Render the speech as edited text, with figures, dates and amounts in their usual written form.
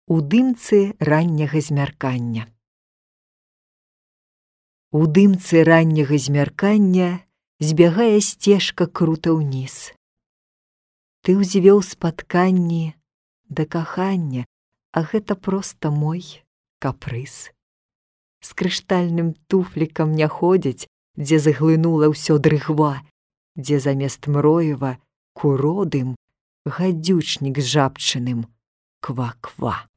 У дымцы ранняга змяркання. У дымцы ранняга змяркання збягае сцежка крута ўніз. Ты ўзвёў спатканні да кахання, а гэта проста мой капрыз. З крыштальным туфлікам не ходзяць, дзе заглынула ўсё дрыгва, дзе замест мроева куродым гадзючнік з жабчыным ква-ква.